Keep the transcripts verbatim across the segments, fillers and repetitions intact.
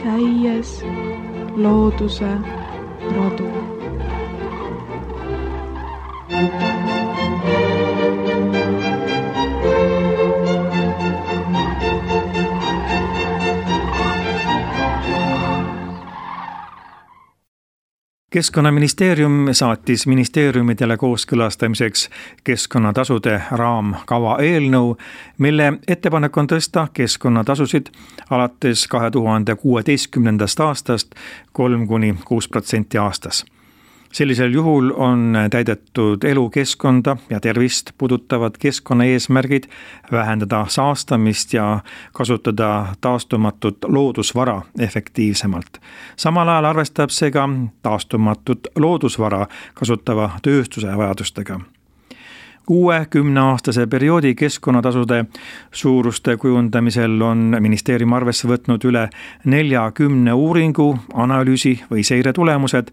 Käies looduse rodu. Keskkonnaministeerium saatis ministeeriumidele kooskõlastamiseks keskkonnatasude raamkava eelnõu, mille ettepanek on tõsta keskkonnatasusid alates kahe tuhande kuueteistkümnendast aastast kolm kuni kuus protsenti aastas. Sellisel juhul on täidetud elukeskkonda ja tervist puudutavad keskkonnaeesmärgid, vähendada saastamist ja kasutada taastumatut loodusvara efektiivsemalt. Samal ajal arvestab see ka taastumatut loodusvara kasutava tööstuse vajadustega. Uue kümneaastase perioodi keskkonnatasude suuruste kujundamisel on ministeerium arvesse võtnud üle neljakümne uuringu, analüüsi või seire tulemused.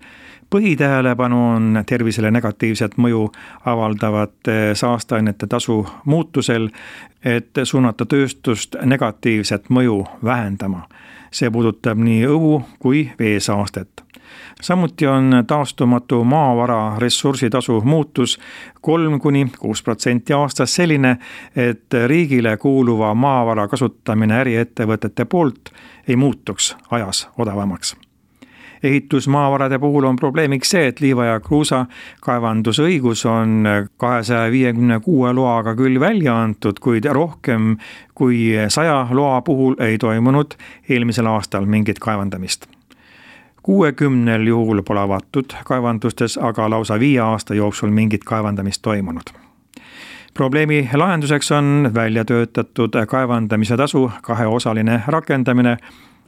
Põhitähelepanu on tervisele negatiivset mõju avaldavate saasteainete tasu muutusel, et suunata tööstust negatiivset mõju vähendama. See puudutab nii õhu kui veesaastet. Samuti on taastumatu maavara ressursitasu muutus kolm kuni kuus protsenti aastas selline, et riigile kuuluva maavara kasutamine äriettevõtete poolt ei muutuks ajas odavamaks. Ehitusmaavarade puhul on probleemiks see, et liiva ja kruusa kaevandusõigus on kahesaja viiekümne kuue loaga küll välja antud, kuid rohkem kui saja loa puhul ei toimunud eelmisel aastal mingit kaevandamist. kuuekümnel juhul pole avatud kaevandustes, aga lausa viie aasta jooksul mingit kaevandamist toimunud. Probleemi lahenduseks on välja töötatud kaevandamise tasu kaheosaline rakendamine.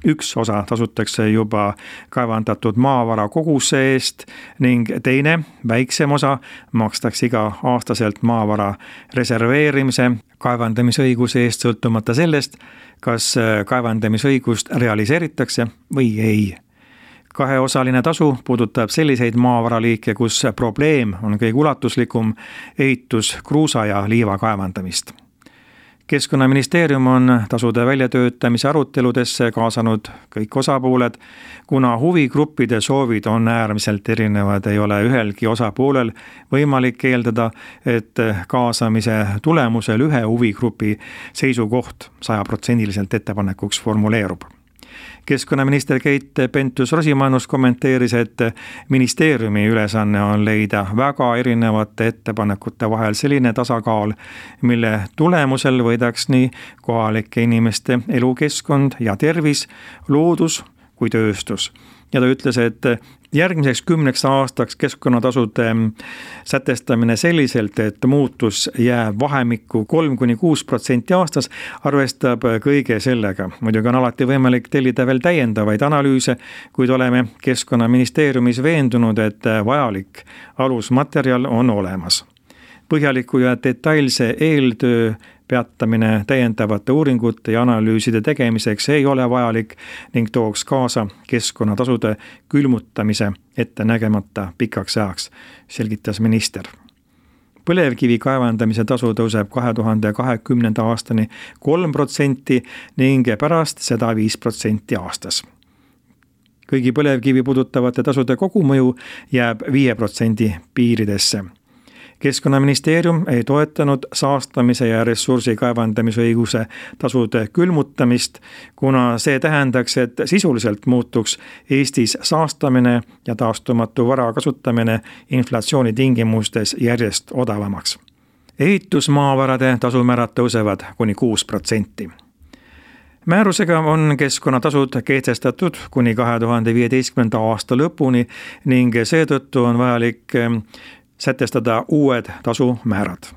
Üks osa tasutakse juba kaevandatud maavara koguse eest ning teine, väiksem osa, makstakse iga aastaselt maavara reserveerimise kaevandamisõiguse eest sõltumata sellest, kas kaevandamisõigust realiseeritakse või ei. Kaheosaline tasu puudutab selliseid maavaraliike, kus probleem on kõige ulatuslikum, ehitus, kruusa ja liiva kaevandamist. Keskkonnaministeerium on tasude väljatöötamise aruteludesse kaasanud kõik osapooled, kuna huvigruppide soovid on äärmiselt erinevad, ei ole ühelgi osapoolel võimalik eeldada, et kaasamise tulemusel ühe huvigrupi seisukoht sajaprotsendiliselt ettepanekuks formuleerub. Keskkonnaminister Keit Pentus-Rosimannus kommenteeris, et ministeeriumi ülesanne on leida väga erinevate ettepanekute vahel selline tasakaal, mille tulemusel võidaks nii kohalike inimeste elukeskkond ja tervis, loodus kui tööstus. Ja ta ütles, et järgmiseks kümneks aastaks keskkonnatasude sätestamine selliselt, et muutus jääb vahemikku kolm kuni kuus protsenti aastas, arvestab kõige sellega. Muidugi on alati võimalik tellida veel täiendavaid analüüse, kuid oleme Keskkonnaministeeriumis veendunud, et vajalik alusmaterjal on olemas. Põhjaliku ja detailse eeltöö peatamine täiendavate uuringute ja analüüside tegemiseks ei ole vajalik ning tooks kaasa keskkonnatasude külmutamise ette nägemata pikaks ajaks, selgitas minister. Põlevkivi kaevandamise tasu tõuseb kahe tuhande kahekümnenda aastani kolm protsenti ning pärast seda viis protsenti aastas. Kõigi põlevkivi puudutavate tasude kogumõju jääb viie protsendi piiridesse. Keskkonnaministeerium ei toetanud saastamise ja ressursi kaevandamisõiguse tasude külmutamist, kuna see tähendaks, et sisuliselt muutuks Eestis saastamine ja taastumatu vara kasutamine inflatsiooni tingimustes järjest odavamaks. Ehitusmaavarade tasumäärad tõusevad kuni kuus protsenti. Määrusega on keskkonnatasud kehtestatud kuni kahe tuhande viieteistkümnenda aasta lõpuni ning seetõttu on vajalik sätestada uued tasumäärad.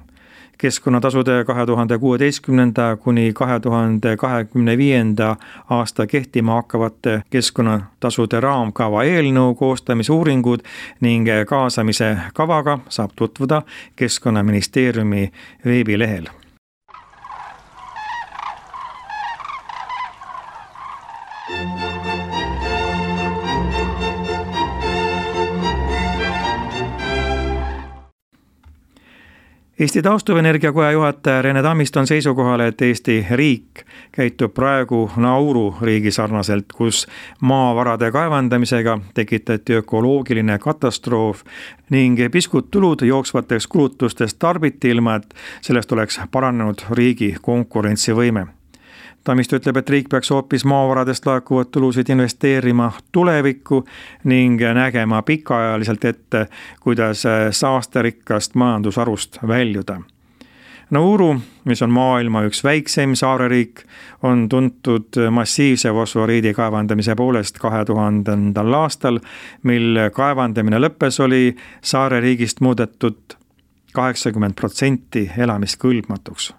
Keskkonnatasude kahe tuhande kuueteistkümnenda kuni kahe tuhande kahekümne viienda aasta kehtima hakkavate keskkonnatasude raamkava eelnõu koostamisuuringud ning kaasamise kavaga saab tutvuda Keskkonnaministeeriumi veebilehel. Eesti Taastuvenergia Koja juhataja Rene Tammist on seisukohal, et Eesti riik käitub praegu Nauru riigi sarnaselt, kus maavarade kaevandamisega tekitati ökoloogiline katastroof ning piskud tulud jooksvateks kulutustest tarbiti ilma, et sellest oleks paranenud riigi konkurentsivõime. Tammist ütleb, et riik peaks hoopis maavaradest laekuvad tulusid investeerima tulevikku ning nägema pikaajaliselt ette, kuidas saasterikkast majandusharust väljuda. Nauru, mis on maailma üks väikseim saareriik, on tuntud massiivse fosforiidi kaevandamise poolest kahe tuhandendal aastal, mil kaevandamine lõppes, oli saareriigist muudetud kaheksakümmend protsenti elamiskõlbmatuks.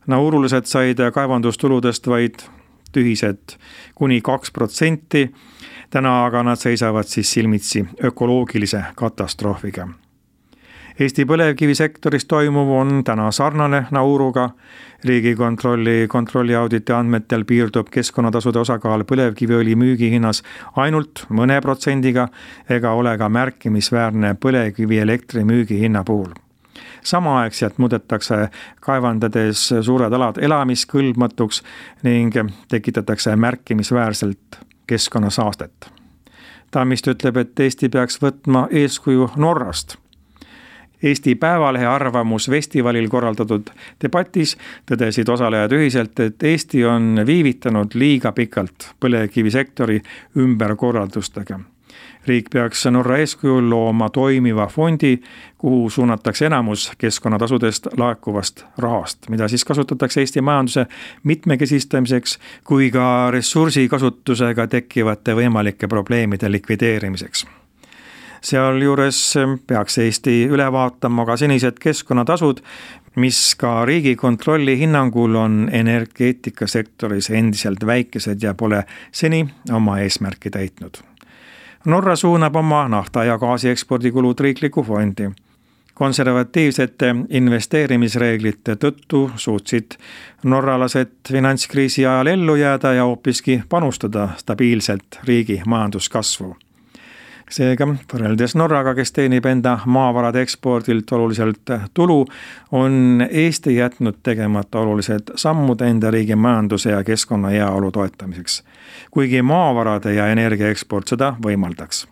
Naurulased said kaevandustuludest vaid tühised kuni kaks protsenti, täna aga nad seisavad siis silmitsi ökoloogilise katastroofiga. Eesti põlevkivisektoris toimuv on täna sarnane Nauruga. Riigikontrolli kontrolliauditi andmetel piirdub keskkonnatasude osakaal põlevkiviõli müügihinnas ainult mõne protsendiga ega ole ka märkimisväärne põlevkivielektri müügihinna puhul. Samaaegselt muudetakse kaevandades suured alad elamiskõlbmatuks ning tekitatakse märkimisväärselt keskkonnasaastet. Tammist ütleb, et Eesti peaks võtma eeskuju Norrast. Eesti Päevalehe arvamusfestivalil korraldatud debatis tõdesid osalejad ühiselt, et Eesti on viivitanud liiga pikalt põlevkivisektori ümberkorraldustega. Riik peaks Norra eeskujul looma toimiva fondi, kuhu suunatakse enamus keskkonnatasudest laekuvast rahast, mida siis kasutatakse Eesti majanduse mitmekesistamiseks kui ka ressursikasutusega tekkivate võimalike probleemide likvideerimiseks. Sealjuures peaks Eesti üle vaatama ka senised keskkonnatasud, mis ka Riigikontrolli hinnangul on energeetikasektoris endiselt väikesed ja pole seni oma eesmärki täitnud. Norra suunab oma nafta- ja gaasi ekspordikulud riikliku fondi. Konservatiivsete investeerimisreeglite tõttu suutsid norralased finantskriisi ajal ellu jääda ja hoopiski panustada stabiilselt riigi majanduskasvu. Seega, võrreldes Norraga, kes teenib enda maavarade ekspordilt oluliselt tulu, on Eesti jätnud tegemata olulised sammud enda riigi majanduse ja keskkonna heaolu toetamiseks, kuigi maavarade ja energia eksport seda võimaldaks.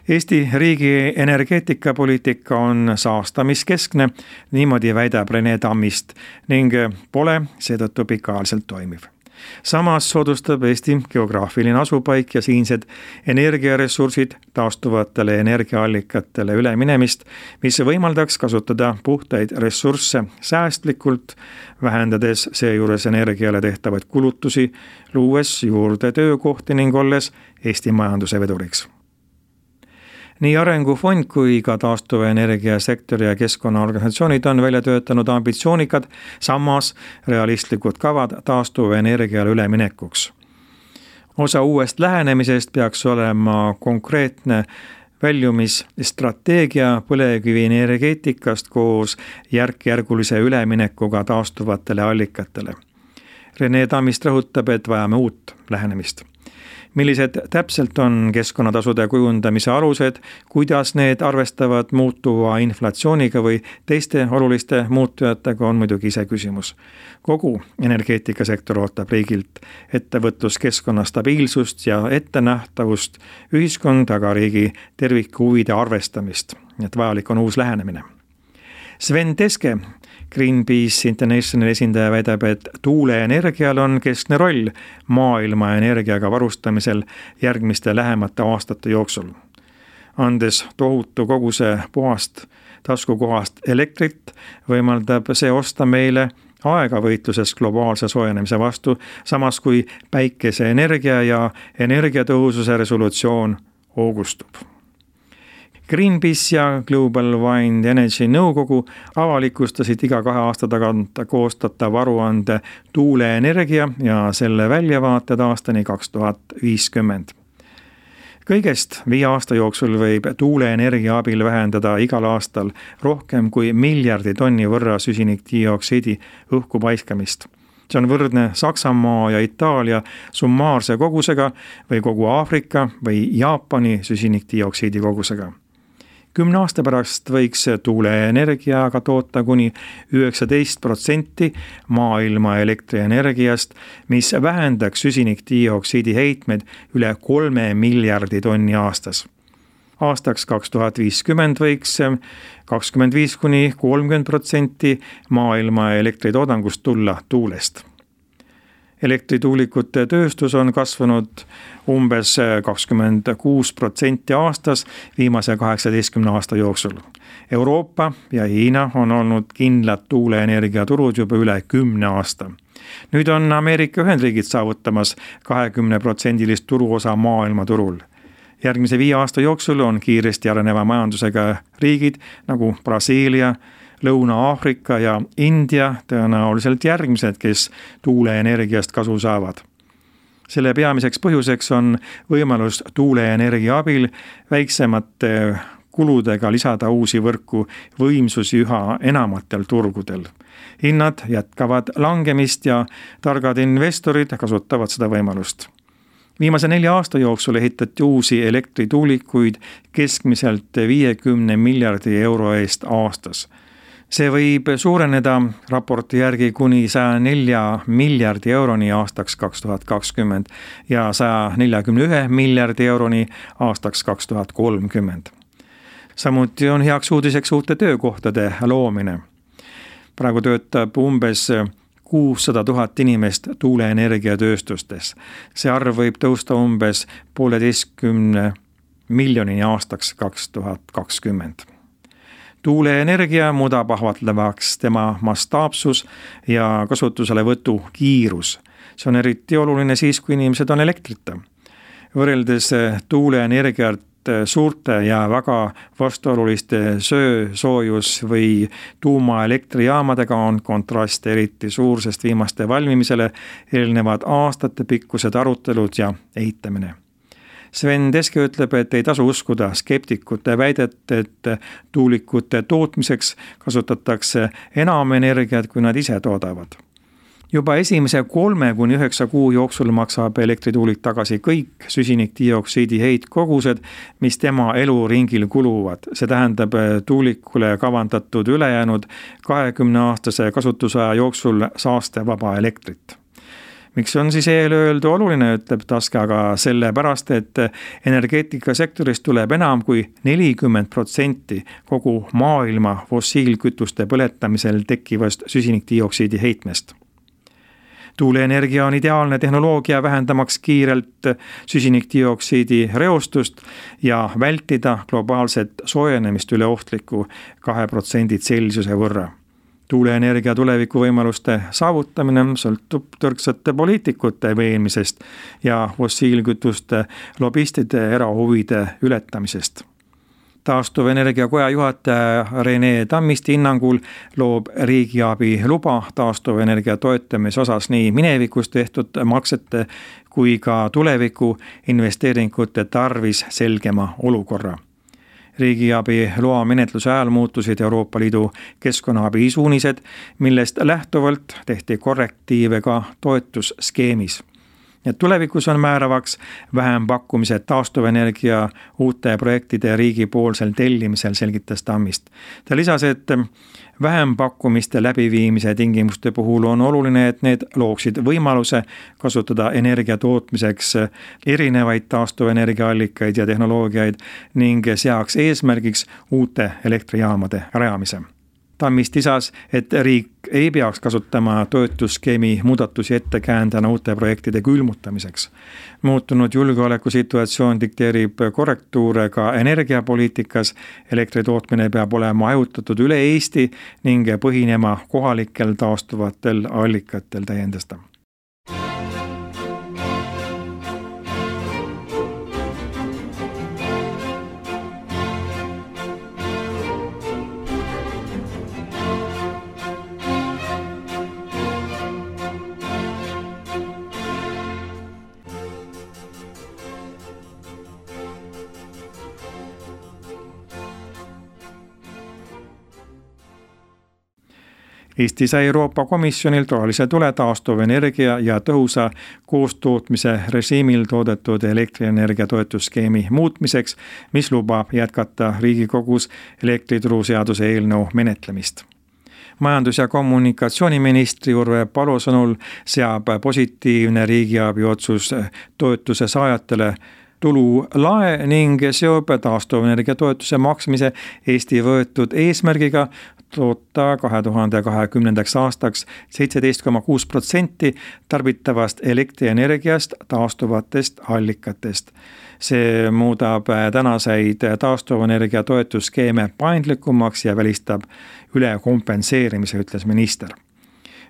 Eesti riigi energeetikapoliitika on saastamiskeskne, niimoodi väidab Rene Tammist ning pole seetõttu pikaajaliselt toimiv. Samas soodustab Eesti geograafiline asupaik ja siinsed energiaressursid taastuvatele energiaallikatele üleminemist, mis võimaldaks kasutada puhtaid ressursse säästlikult, vähendades seejuures energiale tehtavaid kulutusi, luues juurde töökohti ning olles Eesti majanduse veduriks. Nii Arengufond kui ka taastuvenergiasektori ja keskkonnaorganisatsioonid on välja töötanud ambitsioonikad, samas realistlikud kavad taastuvenergiale üleminekuks. Osa uuest lähenemisest peaks olema konkreetne väljumisstrateegia põlevkivi energeetikast koos järk-järgulise üleminekuga taastuvatele allikatele. Rene Tammist rõhutab, et vajame uut lähenemist. Millised täpselt on keskkonnatasude kujundamise alused, kuidas need arvestavad muutuva inflatsiooniga või teiste oluliste muutujatega, on muidugi ise küsimus. Kogu energeetikasektor ootab riigilt ettevõtluskeskkonna stabiilsust ja ettenähtavust, ühiskond aga riigi tervikhuvide arvestamist, et vajalik on uus lähenemine. Sven Teske, Greenpeace Internationali esindaja, väidab, et tuuleenergial on keskne roll maailma energiaga varustamisel järgmiste lähemate aastate jooksul. Andes tohutu koguse puhast taskukohast elektrit, võimaldab see osta meile aega võitluses globaalse soojenemise vastu, samas kui päikeseenergia ja energiatõhususe resolutsioon hoogustub. Greenpeace ja Global Wind Energy nõukogu avalikustasid iga kahe aasta tagant koostatav aruande tuuleenergia ja selle väljavaated aastani kaks tuhat viiskümmend. Kõigest viie aasta jooksul võib tuuleenergia abil vähendada igal aastal rohkem kui miljardi tonni võrra süsinikdioksiidi õhku paiskamist. See on võrdne Saksamaa ja Itaalia summaarse kogusega või kogu Aafrika või Jaapani süsinikdioksiidi kogusega. kümne aasta pärast võiks tuuleenergiaga toota kuni üheksateist protsenti maailma elektrienergiast, mis vähendaks süsinikdioksiidi heitmed üle kolme miljardi tonni aastas. Aastaks kaks tuhat viiskümmend võiks kakskümmend viis kuni kolmkümmend protsenti maailma elektritoodangust tulla tuulest. Elektrituulikute tööstus on kasvanud umbes kakskümmend kuus protsenti aastas viimase kaheksateistkümne aasta jooksul. Euroopa ja Hiina on olnud kindlad tuuleenergiaturud juba üle kümne aasta. Nüüd on Ameerika Ühendriigid saavutamas kahekümne protsendilist turuosa maailma turul. Järgmise viie aasta jooksul on kiiresti areneva majandusega riigid nagu Brasiilia, Lõuna-Aafrika ja India tõenäoliselt järgmised, kes tuuleenergiast kasu saavad. Selle peamiseks põhjuseks on võimalus tuuleenergia abil väiksemate kuludega lisada uusi võrku võimsusi üha enamatel turgudel. Hinnad jätkavad langemist ja targad investorid kasutavad seda võimalust. Viimase nelja aasta jooksul ehitati uusi elektrituulikuid keskmiselt viiekümne miljardi euro eest aastas. See võib suureneda raporti järgi kuni saja nelja miljardi euroni aastaks kaks tuhat kakskümmend ja saja neljakümne ühe miljardi euroni aastaks kaks tuhat kolmkümmend. Samuti on heaks uudiseks uute töökohtade loomine. Praegu töötab umbes kuussada tuhat inimest tuuleenergiatööstustes. See arv võib tõusta umbes pooleteistkümne miljonini aastaks kaks tuhat kakskümmend. Tuuleenergia muudab ahvatlevaks tema mastaapsus ja kasutuselevõtu kiirus. See on eriti oluline siis, kui inimesed on elektrita. Võrreldes tuuleenergiat suurte ja väga vastuoluliste söö, soojus või tuumaelektrijaamadega on kontrast eriti suur, sest viimaste valmimisele eelnevad aastate pikkused arutelud ja eitamine. Sven Teske ütleb, et ei tasu uskuda skeptikute väidet, et tuulikute tootmiseks kasutatakse enam energiat, kui nad ise toodavad. Juba esimese kolme kuni üheksa kuu jooksul maksab elektrituulik tagasi kõik süsinikdioksiidi heitkogused, mis tema eluringil kuluvad. See tähendab tuulikule kavandatud ülejäänud kahekümne aastase kasutusaja jooksul saastevaba elektrit. Miks on siis eelöeldu oluline, ütleb Taske, aga sellepärast, et energeetikasektorist tuleb enam kui nelikümmend protsenti kogu maailma fossiilkütuste põletamisel tekkivast süsinikdioksiidi heitmest. Tuuleenergia on ideaalne tehnoloogia vähendamaks kiirelt süsinikdioksiidi reostust ja vältida globaalset soojenemist üle ohtliku kahe protsendi Celsiuse võrra. Tuuleenergia tulevikuvõimaluste saavutamine sõltub tõrksate poliitikute veenmisest ja fossiilkütuste lobistide erahuvide ületamisest. Taastuvenergia koja juhataja Rene Tammisti hinnangul loob riigiabi luba taastuvenergia toetamise osas nii minevikus tehtud maksete kui ka tuleviku investeeringute tarvis selgema olukorra. Riigiabi loa menetluse ajal muutusid Euroopa Liidu keskkonnaabi suunised, millest lähtuvalt tehti korrektiive ka toetusskeemis. Ja tulevikus on määravaks vähempakkumised taastuvenergia uute projektide riigipoolsel tellimisel, selgitas Tammist. Ta lisas, et vähempakkumiste läbiviimise tingimuste puhul on oluline, et need looksid võimaluse kasutada energia tootmiseks erinevaid taastuvenergiaallikaid ja tehnoloogiaid ning seaks eesmärgiks uute elektrijaamade rajamise. Tammist lisas, et riik ei peaks kasutama toetusskeemi muudatusi ettekäändena uute projektide külmutamiseks. Muutunud julgeolekusituatsioon dikteerib korrektuure ka energiapoliitikas. Elektritootmine peab olema hajutatud üle Eesti ning põhinema kohalikel taastuvatel allikatel, täiendas ta. Eesti sai Euroopa Komisjonilt rohelise tule taastuvenergia ja tõhusa koostootmise režiimil toodetud elektrienergia toetusskeemi muutmiseks, mis lubab jätkata Riigikogus elektrituruseaduse eelnõu menetlemist. Majandus- ja kommunikatsiooniministri Urve Palo sõnul seab positiivne riigiabi otsus toetuse saajatele tulu lae ning seob taastuvenergia toetuse maksmise Eesti võetud eesmärgiga toota kahe tuhande kahekümnendaks aastaks seitseteist koma kuus protsenti tarbitavast elektrienergiast taastuvatest allikatest. See muudab tänaseid taastuvenergia toetusskeeme paindlikumaks ja välistab ülekompenseerimise, ütles minister.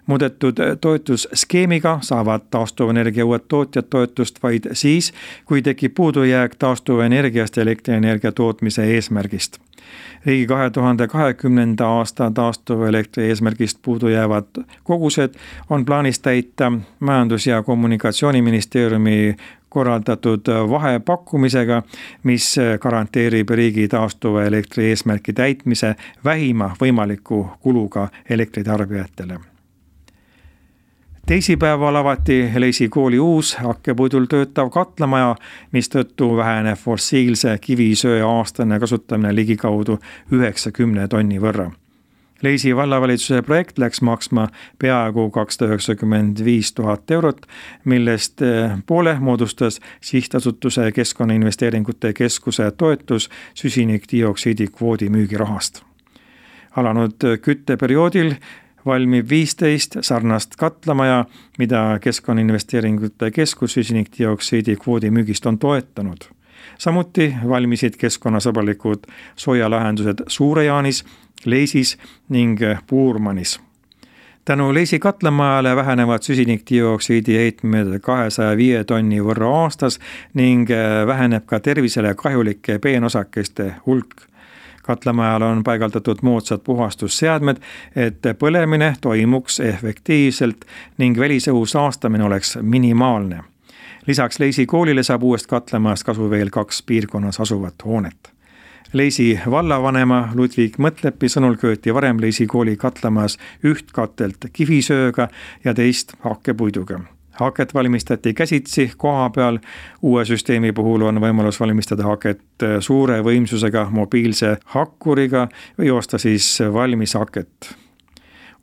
Muudetud toetusskeemiga saavad taastuvenergia uued tootjad toetust vaid siis, kui tekib puudujääk taastuvenergiast ja elektrienergia tootmise eesmärgist. Riigi kahe tuhande kahekümnenda aasta taastuvelektri eesmärgist puudujäävad kogused on plaanis täita Majandus- ja Kommunikatsiooniministeeriumi korraldatud vahepakkumisega, mis garanteerib riigi taastuva elektri eesmärki täitmise vähima võimaliku kuluga elektritarbijatele. Teisipäeval avati Leisi kooli uus hakkepuidul töötav katlamaja, mistõttu väheneb fossiilse kivisöe aastane kasutamine ligikaudu üheksakümne tonni võrra. Leisi vallavalitsuse projekt läks maksma peaaegu kakssada üheksakümmend viis tuhat eurot, millest poole moodustas sihtasutuse Keskkonnainvesteeringute Keskuse toetus süsinikdioksiidi kvoodi müügirahast. Alanud kütteperioodil valmib viisteist sarnast katlamaja, mida Keskkonnainvesteeringute Keskus süsinikdioksiidi kvoodi müügist on toetanud. Samuti valmisid keskkonnasõbralikud soojalahendused Suure-Jaanis, Leisis ning Puurmanis. Tänu Leisi katlamajale vähenevad süsinikdioksiidi heitmed kahesaja viie tonni võrra aastas ning väheneb ka tervisele kahjulike peenosakeste hulk. Katlamajal on paigaldatud moodsad puhastusseadmed, et põlemine toimuks efektiivselt ning välisõhu saastamine oleks minimaalne. Lisaks Leisi koolile saab uuest katlamajast kasu veel kaks piirkonnas asuvat hoonet. Leisi vallavanema Ludvig Mõtlepi sõnul kööti varem Leisi kooli katlamajas üht katelt kivisööga ja teist hakkepuiduga. Haket valmistati käsitsi koha peal. Uue süsteemi puhul on võimalus valmistada haket suure võimsusega mobiilse hakkuriga või osta siis valmis haket.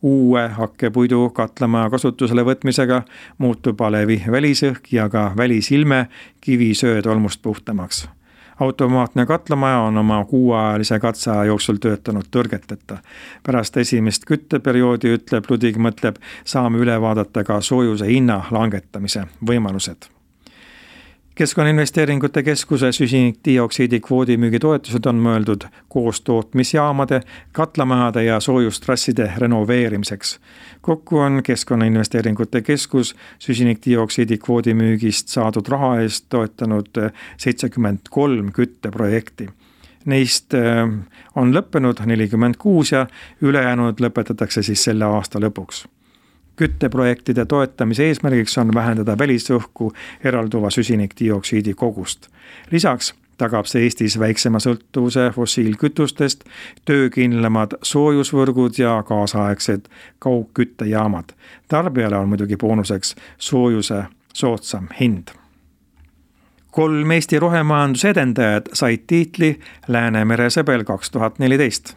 Uue hakkepuidu katlamaja kasutusele võtmisega muutub alevi välisõhk ja ka välisilme kivisöö tolmust puhtamaks. Automaatne katlamaja on oma kuuajalise katseaja jooksul töötanud tõrgeteta. Pärast esimest kütteperioodi, ütleb Ludvig Mõtleb, saame üle vaadata ka soojuse hinna langetamise võimalused. Keskkonnainvesteeringute Keskuse süsinikdioksiidi kvoodi müügitoetused on mõeldud koostootmisjaamade, katlamajade ja soojustrasside renoveerimiseks. Kokku on Keskkonnainvesteeringute Keskus süsinikdioksiidi kvoodi müügist saadud raha eest toetanud seitsekümmend kolm kütteprojekti. Neist on lõppenud nelikümmend kuus ja ülejäänud lõpetatakse siis selle aasta lõpuks. Kütteprojektide toetamise eesmärgiks on vähendada välisõhku eralduva süsinikdioksiidi kogust. Lisaks tagab see Eestis väiksema sõltuvuse fossiilkütustest, töökindlamad soojusvõrgud ja kaasaegsed kaugküttejaamad. Tarbijale on muidugi boonuseks soojuse soodsam hind. Kolm Eesti rohemajanduse edendajad said tiitli Läänemere sõbel kaks tuhat neliteist.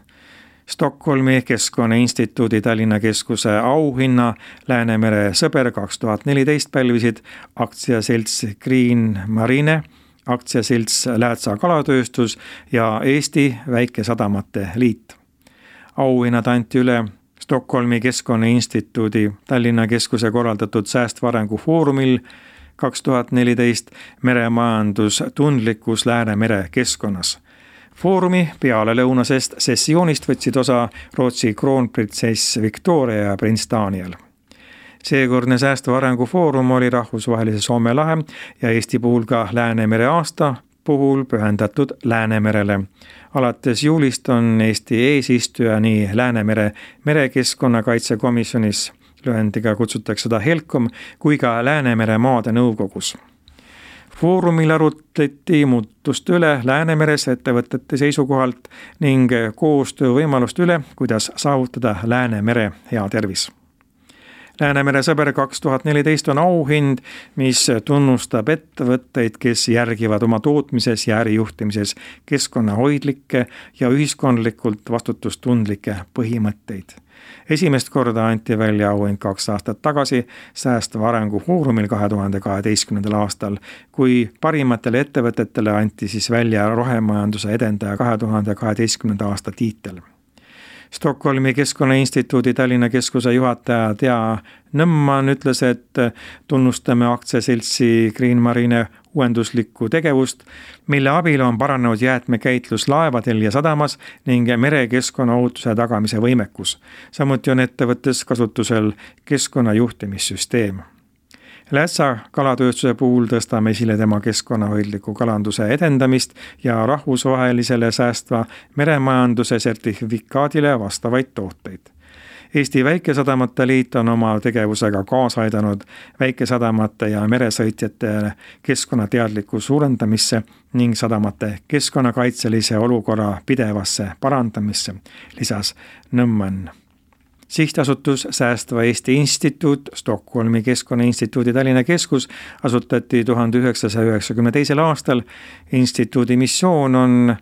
Stockholmi Keskkonnainstituudi Tallinna Keskuse auhinna Läänemere sõber kaks tuhat neliteist pälvisid aktsiaselts Green Marine, aktsiaselts Läätsa kalatööstus ja Eesti Väikesadamate Liit. Auhinnad anti üle Stockholmi Keskkonnainstituudi Tallinna Keskuse korraldatud säästva arengu foorumil kaks tuhat neliteist meremajandus tundlikkus Läänemere keskkonnas. Foorumi peale lõunasest sessioonist võtsid osa Rootsi kroonprintsess Victoria ja prints Daniel. Seekordne säästva arengu foorum oli rahvusvahelise Soome lahe ja Eesti puhul ka Läänemere aasta puhul pühendatud Läänemerele. Alates juulist on Eesti eesistuja nii Läänemere merekeskkonnakaitsekomisjonis, lühendiga kutsutakse seda HELCOM, kui ka Läänemere maade nõukogus. Foorumil arutleti muutuste üle Läänemeres ettevõtete seisukohalt ning koostöö võimalust üle, kuidas saavutada Läänemere hea tervis. Läänemere sõber kaks tuhat neliteist on auhind, mis tunnustab ettevõtteid, kes järgivad oma tootmises ja ärijuhtimises keskkonnahoidlikke ja ühiskondlikult vastutustundlikke põhimõtteid. Esimest korda anti välja auhind kaks aastat tagasi säästva arengu foorumil kahe tuhande kaheteistkümnendal aastal, kui parimatele ettevõtetele anti siis välja rohemajanduse edendaja kahe tuhande kaheteistkümnenda aasta tiitel. Stockholmi Keskkonnainstituudi Tallinna keskuse juhataja Tea Nõmman ütles, et tunnustame aktsiaseltsi Green Marine uuenduslikku tegevust, mille abil on paranenud jäätmekäitlus laevadel ja sadamas ning merekeskkonna ohutuse tagamise võimekus. Samuti on ettevõttes kasutusel keskkonnajuhtimissüsteem. Lätsa kalatööstuse puhul tõstame esile tema keskkonnahoidliku kalanduse edendamist ja rahvusvahelisele säästva meremajanduse sertifikaadile vastavaid tooteid. Eesti Väikesadamate Liit on oma tegevusega kaasa aidanud väikesadamate ja meresõitjate keskkonnateadliku suurendamisse ning sadamate keskkonnakaitselise olukorra pidevasse parandamisse, lisas Nõmman. Sihtasutus Säästva Eesti Instituut, Stockholmi Keskkonnainstituudi Tallinna keskus asutati tuhande üheksasaja üheksakümne teisel aastal. Instituudi missioon on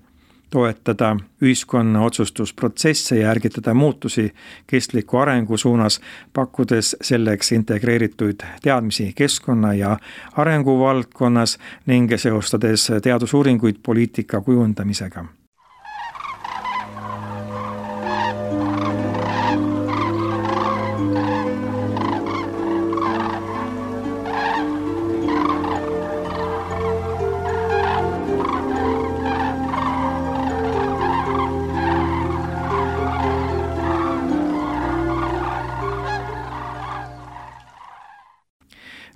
toetada ühiskonna otsustusprotsesse ja ärgitada muutusi kestliku arengu suunas, pakkudes selleks integreeritud teadmisi keskkonna ja arengu valdkonnas ning seostades teadusuuringuid poliitika kujundamisega.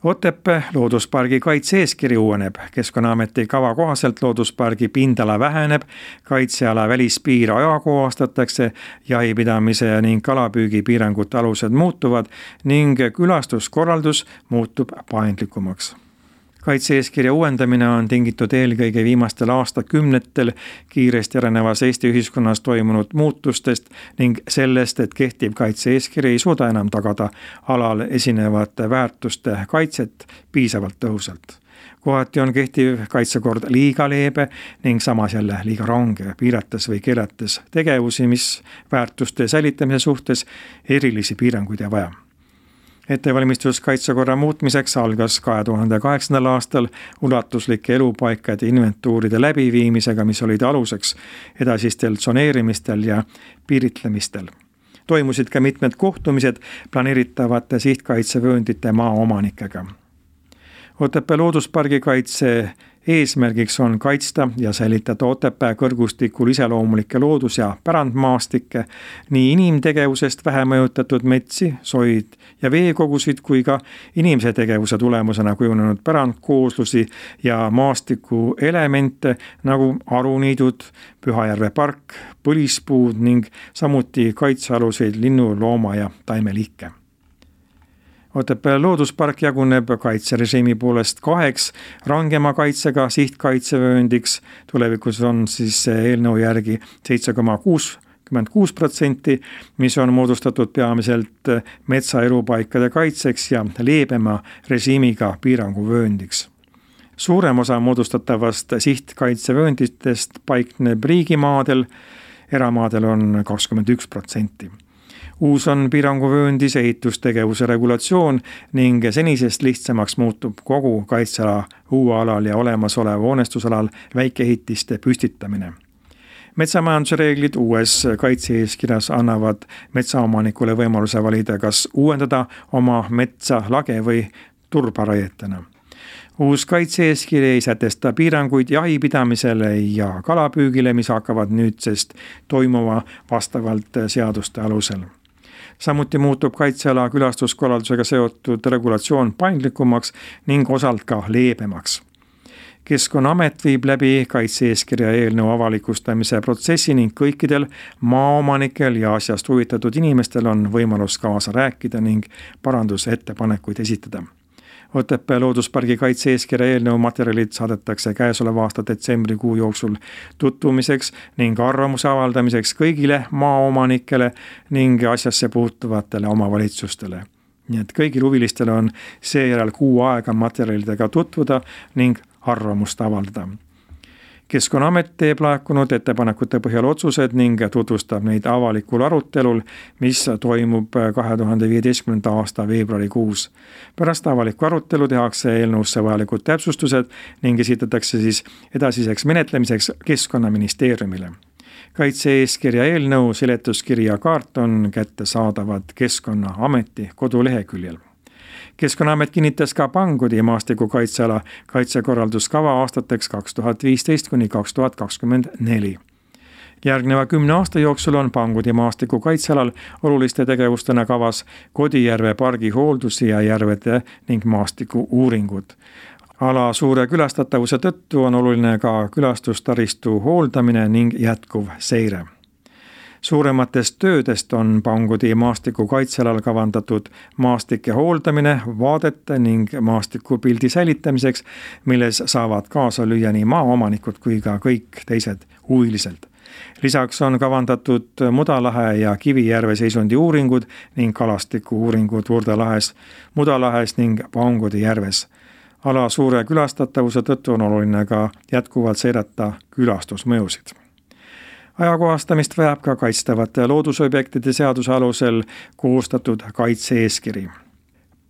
Otepää looduspargi kaitse-eeskiri uueneb. Keskkonnaameti kava kohaselt looduspargi pindala väheneb, kaitseala välispiir ajakohastatakse, jahipidamise ning kalapüügi piirangute alused muutuvad ning külastuskorraldus muutub paindlikumaks. Kaitse-eeskirja uuendamine on tingitud eelkõige viimastel aastakümnetel kiiresti arenevas Eesti ühiskonnas toimunud muutustest ning sellest, et kehtiv kaitse-eeskiri ei suuda enam tagada alal esinevate väärtuste kaitset piisavalt tõhusalt. Kohati on kehtiv kaitsekord liiga leebe ning samas jälle liiga range, piirates või keelates tegevusi, mis väärtuste säilitamise suhtes erilisi piiranguid ei vaja. Ettevalmistus kaitsekorra muutmiseks algas kahe tuhande kaheksandal aastal ulatuslike elupaikade inventuuride läbiviimisega, mis olid aluseks edasistel tsoneerimistel ja piiritlemistel. Toimusid ka mitmed kohtumised planeeritavate sihtkaitsevööndite maaomanikega. Otepää looduspargi kaitse eesmärgiks on kaitsta ja säilitada Otepää kõrgustikul iseloomulikke loodus- ja pärandmaastikke, nii inimtegevusest vähe mõjutatud metsi, soid ja veekogusid kui ka inimese tegevuse tulemusena kujunenud pärandkooslusi ja maastiku elemente nagu aruniidud, Pühajärve park, põlispuud ning samuti kaitsealuseid linnu, looma ja taimeliike. Otepää looduspark jaguneb kaitserežiimi poolest kaheks rangema kaitsega sihtkaitsevööndiks. Tulevikus on siis eelnõu järgi seitse koma kuuskümmend kuus protsenti, mis on moodustatud peamiselt metsaelupaikade kaitseks ja leebema režiimiga piiranguvööndiks. Suurem osa moodustatavast sihtkaitsevöönditest paikneb riigimaadel, eramaadel on kakskümmend üks protsenti. Uus on piiranguvööndis ehitustegevuse regulatsioon ning senisest lihtsamaks muutub kogu kaitseala uualal ja olemasolev hoonestusalal väikeehitiste püstitamine. Metsamajanduse reeglid uues kaitse-eeskirjas annavad metsaomanikule võimaluse valida, kas uuendada oma metsa lage või turbaraietena. Uus kaitse-eeskiri ei sätesta piiranguid jahipidamisele ja kalapüügile, mis hakkavad nüüdsest toimuma vastavalt seaduste alusel. Samuti muutub kaitseala külastuskorraldusega seotud regulatsioon paindlikumaks ning osalt ka leebemaks. Keskkonnaamet viib läbi kaitse-eeskirja eelnõu avalikustamise protsessi ning kõikidel maaomanikel ja asjast huvitatud inimestel on võimalus kaasa rääkida ning parandusettepanekuid esitada. Otepää looduspargi kaitse-eeskirja eelnõu materjalid saadetakse käesoleva aasta detsembrikuu jooksul tutvumiseks ning arvamuse avaldamiseks kõigile maaomanikele ning asjasse puutuvatele omavalitsustele. Nii et kõigil huvilistele on seejärel kuu aega materjalidega tutvuda ning arvamust avaldada. Keskkonnaamet teeb laekunud ettepanekute põhjal otsused ning tutvustab neid avalikul arutelul, mis toimub kahe tuhande viieteistkümnenda aasta veebruarikuus. Pärast avalikku arutelu tehakse eelnõusse vajalikud täpsustused ning esitatakse siis edasiseks menetlemiseks Keskkonnaministeeriumile. Kaitse-eeskirja eelnõu seletuskiri ja kaart on kättesaadavad Keskkonnaameti koduleheküljel. Keskkonnaamet kinnitas ka Pangodi maastikukaitseala kaitsekorralduskava aastateks kaks tuhat viisteist kuni kaks tuhat kakskümmend neli. Järgneva kümne aasta jooksul on Pangodi maastikukaitsealal oluliste tegevustena kavas Kodijärve pargi hooldusi ja järvede ning maastiku uuringud. Ala suure külastatavuse tõttu on oluline ka külastustaristu hooldamine ning jätkuv seire. Suurematest töödest on Pangodi maastiku kaitsealal kavandatud maastike hooldamine, vaadete ning maastikupildi säilitamiseks, milles saavad kaasa lüüa nii maaomanikud kui ka kõik teised huvilised. Lisaks on kavandatud Mudalahe ja Kivijärve seisundi uuringud ning kalastiku uuringud Vurdalahes, Mudalahes ning Pangodi järves. Ala suure külastatavuse tõttu on oluline ka jätkuvalt seirata külastusmõjusid. Ajakohastamist vajab ka kaitstavate loodusobjektide seaduse alusel koostatud kaitse-eeskiri.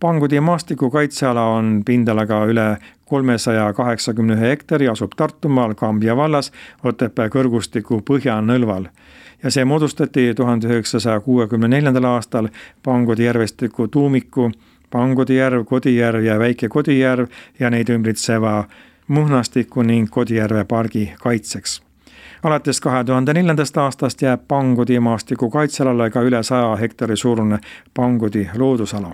Pangodi maastiku kaitseala on pindalaga üle kolmesaja kaheksakümne ühe hektari, asub Tartumaal Kambja vallas Otepää kõrgustiku põhjanõlval ja see moodustati tuhande üheksasaja kuuekümne neljandal aastal Pangodi järvestiku tuumiku, Pangodi järv, Kodijärv ja Väike Kodijärv ja neid ümbritseva Muhnastiku ning Kodijärve pargi kaitseks. Alates kahe tuhande neljandast aastast jääb Pangodi maastiku kaitsealale ka üle saja hektari suurune Pangodi loodusala.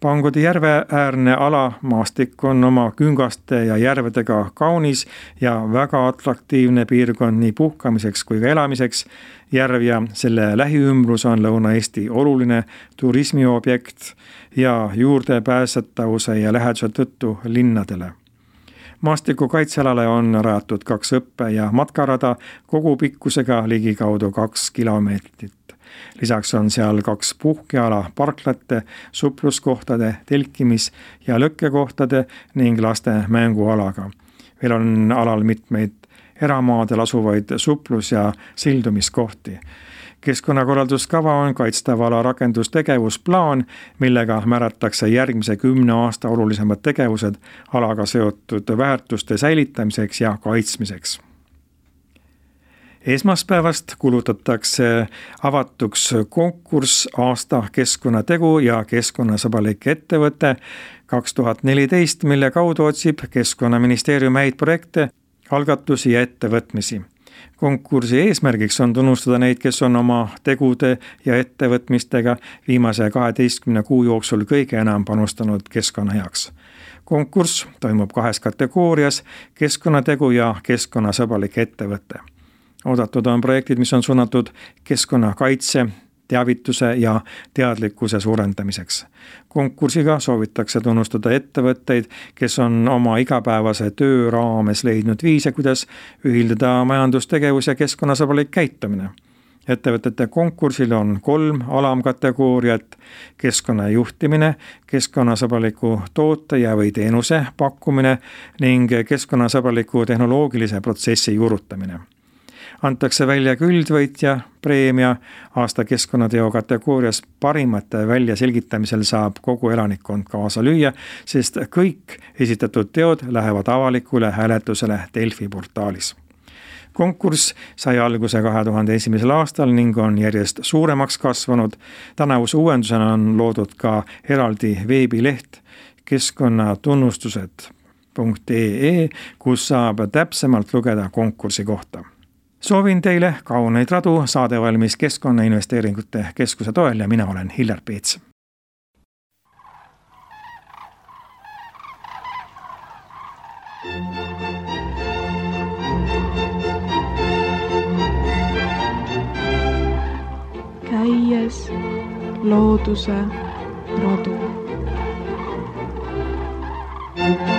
Pangodi järve äärne ala maastik on oma küngaste ja järvedega kaunis ja väga atraktiivne piirkond nii puhkamiseks kui ka elamiseks. Järv ja selle lähiümbrus on Lõuna-Eesti oluline turismiobjekt ja juurdepääsetavuse ja läheduse tõttu linnadele. Maastiku kaitsealale on rajatud kaks õppe- ja matkarada kogu pikkusega ligikaudu kaks kilomeetrit. Lisaks on seal kaks puhkeala parklate, supluskohtade, telkimis- ja lõkkekohtade ning laste mängualaga. Veel on alal mitmeid eramaadel asuvaid suplus- ja sildumiskohti. Keskkonnakorralduskava on kaitstava ala rakendustegevusplaan, millega määratakse järgmise kümne aasta olulisemad tegevused alaga seotud väärtuste säilitamiseks ja kaitsmiseks. Esmaspäevast kulutatakse avatuks konkurss aasta keskkonnategu ja keskkonnasõbralik ettevõte kaks tuhat neliteist, mille kaudu otsib Keskkonnaministeerium häid projekte, algatusi ja ettevõtmisi. Konkursi eesmärgiks on tunnustada neid, kes on oma tegude ja ettevõtmistega viimase kaheteistkümne kuu jooksul kõige enam panustanud keskkonna heaks. Konkurss toimub kahes kategoorias, keskkonnategu ja keskkonnasõbralik ettevõte. Oodatud on projektid, mis on suunatud keskkonnakaitse, teavituse ja teadlikkuse suurendamiseks. Konkursiga soovitakse tunnustada ettevõtteid, kes on oma igapäevase töö raames leidnud viise, kuidas ühildada majandustegevus ja keskkonnasõbralik käitumine. Ettevõtete konkursil on kolm alamkategooriat: keskkonnajuhtimine, keskkonnasõbraliku toote ja või teenuse pakkumine ning keskkonnasõbraliku tehnoloogilise protsessi juurutamine. Antakse välja küldvõitja preemia aasta keskkonnateo kategoorias. Parimate välja selgitamisel saab kogu elanikkond kaasa lüüa, sest kõik esitatud teod lähevad avalikule hääletusele Delfi portaalis. Konkurss sai alguse kahe tuhande esimesel aastal ning on järjest suuremaks kasvanud. Tänavuse uuendusena on loodud ka eraldi veebileht keskkonnatunnustused punkt ee, kus saab täpsemalt lugeda konkursi kohta. Soovin teile kauneid radu, saade valmis Keskkonnainvesteeringute Keskuse toel ja mina olen Hillar Peets. Käies looduse radu. tund.